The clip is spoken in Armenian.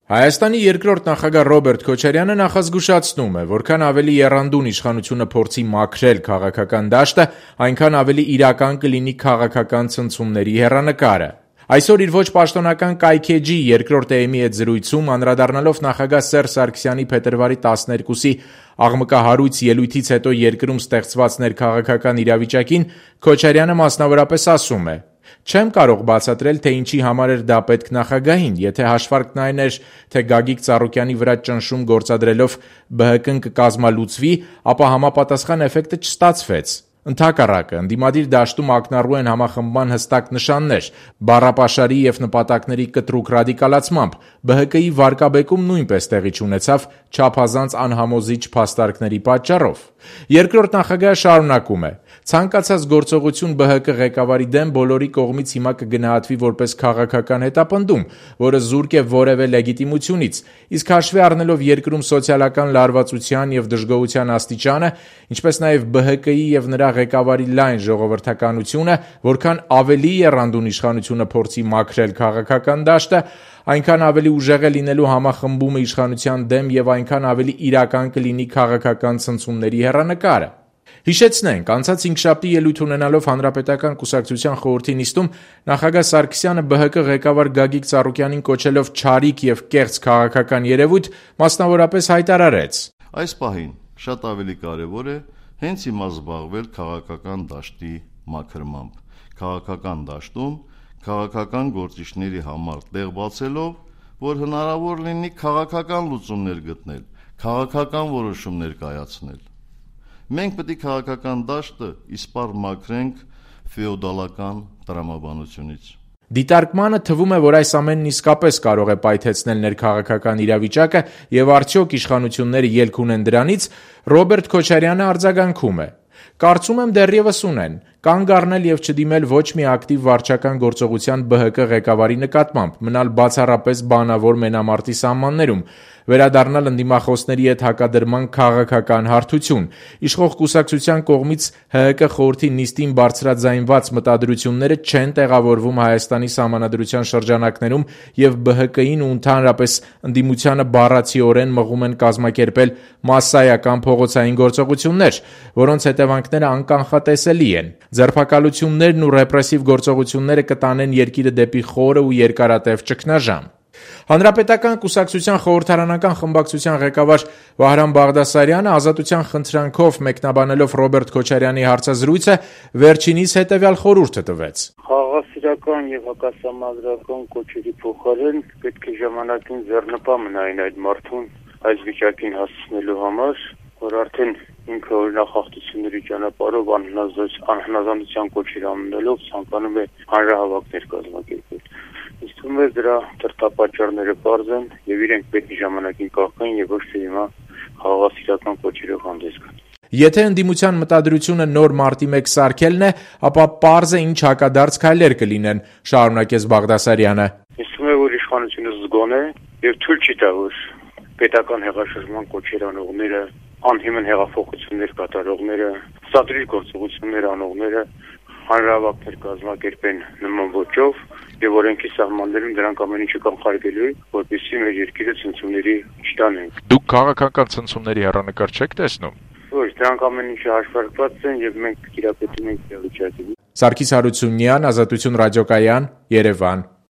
Հայաստանի երկրորդ նախագահ Ռոբերտ Քոչարյանը նախազգուշացնում է, որքան ավելի եռանդուն իշխանությունը փորձի մաքրել քաղաքական դաշտը, այնքան ավելի իրական կլինի քաղաքական ցնցումների հեռանկարը։ Այսօր իր ոչ պաշտոնական կայքէջի երկրորդ էմի հետ զրույցում անդրադառնալով նախագահ Սերժ Սարգսյանի փետրվարի 12-ի աղմկահարույց ելույթից հետո երկրում ստեղծված ներքաղաքական իրավիճակին Քոչարյանը մասնավորապես ասում է. «Չեմ կարող բացատրել, թե ինչի համար էր դա պետք նախագահին, եթե հաշվարկն այն էր, թե Գագիկ Ծառուկյանի վրա ճնշում գործադրելով ԲՀԿ-ն կկազմալուծվի, ապա համապատասխան էֆեկտը չստացվեց։ Ընդհակառակը, ընդդիմադիր դաշտում ակնառու են համախմբման հստակ նշաններ, բառապաշարի և նպատակների կտրուկ ռադիկալացմամբ, ԲՀԿ-ի վարկաբեկում նույնպես տեղի չունեցավ չափազանց անհամոզիչ փաստարկների պատճառով»։ Երկրորդ նախագահը շարունակում է. «Ցանկացած գործողություն ԲՀԿ ղեկավարի դեմ բոլորի կողմից հիմա կգնահատվի որպես քաղաքական հետապնդում, որը զուրկ է որևէ լեգիտիմությունից, իսկ հաշվի առնելով երկրում սոցիալական լարվածության և դժգոհության աստիճանը, ինչպես նաև ԲՀԿ-ի և նրա ղեկավարի լայն ժողովրդականությունը, որքան ավելի եռանդուն իշխանությունը փորձի մաքրել քաղաքական դաշտը, այնքան ավելի ուժեղ է լինելու համախմբումը իշխանության դեմ և այնքան ավելի իրական կլինի քաղաքական ցնցումների հեռանկարը»։ Հիշեցնենք, անցած հինգշաբթի ելույթ ունենալով Հանրապետական կուսակցության խորհրդի նիստում նախագահ Սարգսյանը ԲՀԿ ղեկավար Գագիկ Ծառուկյանին կոչելով չարիք և կեղծ քաղաքական երևույթ, մասնավորապես հայտարարեց. «Այս պահին շատ ավելի կարևոր է հենց հիմա զբաղվել քաղաքական դաշտի մաքրմամբ, քաղաքական դաշտում քաղաքական գործիչների համար տեղ բացելով, որ հնարավոր լինի քաղաքական լուծումներ գտնել, քաղաքական որոշումներ կայացնել։ Մենք պետք է քաղաքական դաշտը իսպառ մաքրենք ֆեոդալական տրամաբանությունից»։ Դիտարկմանը թվում է, որ այս ամենն իսկապես կարող է պայթեցնել ներքաղաքական իրավիճակը և արդյոք իշխանությունները ելք ունեն դրանից, Ռոբերտ Քոչարյանը արձագանքում է. «Կարծում եմ դեռևս ունեն, կանգ առնել և չդիմել ոչ մի ակտիվ վարչական գործողության ԲՀԿ ղեկավարի նկատմամբ, մնալ բացառապես բանավոր մենամարտի սահմաններում, վերադառնալ ընդդիմախոսների հետ հակադրման քաղաքական հարթություն, իշխող կուսակցության կողմից ՀՀԿ խորհրդի նիստին բարձրաձայնված մտադրությունները չեն տեղավորվում Հայաստանի սահմանադրության շրջանակներում և ԲՀԿ-ին ու ընդհանրապես ընդդիմությանը բառացիորեն մղում են կազմակերպել մասսայական փողոցային գործողություններ, որոնց հետևանքները անկանխատեսելի են։ Ձերբակալություններն ու ռեպրեսիվ գործողությունները կտանեն երկիրը դեպի խորը ու երկարատև ճգնաժամ»։ Հանրապետական կուսակցության խորհրդարանական խմբակցության ղեկավար Վահրամ Բաղդասարյանը ազատության խնդրանքով մեկնաբանելով Ռոբերտ Քոչարյանի հարցազրույցը վերջինիս հետևյալ խորհուրդը տվեց. «Խաղաղասիրական և հակասահմանադրական կոչերի փոխարեն պետք է ժամանակին ձեռնպա մնային այդ մարդուն այս վիճակին հասցնելու համար, որ արդեն ինքը օրինախախտությունների ճանապարհով անհնազանդության կոչեր անունելով ցանկանում է հանրահավաքներ կազմակերպել։ Ինձ թվում է դրա դրդապատճառները պարզ են և իրենք պետք է ժամանակին կախեն և ոչ թե հիմա խաղաղասիրական կոչերով հանդես գան»։ Եթե ընդդիմության մտադրությունը նոր մարտի 1 սարքելն է, ապա պարզ է ինչ հակադարձ քայլեր կլինեն, շարունակեց Բաղդասարյանը։ Ինձ թվում է, որ իշխանությունը զգոն է և թույլ չի տա, որ պետական հեղաշրջման կոչեր անողները, անհիմն հեղափոխություններ կատարողները, սադրիչ գործողություններ անողները հանրահավաքներ կազմակերպեն նման ոճով և օրենքի սահմաններում դրանք ամեն ինչը կանխարգելվի, որպեսզի մեր երկիրը ցնցումների չտանեն։ Դուք քաղաքական ցնցումների հեռանկար չեք տեսնում։ Ոչ, դրանք ամեն ինչը հաշվարկված են և մենք տիրապետում ենք իրավիճակին։ Սարգիս Հարությունյան, Ազատություն ռադիոկայան, Երևան։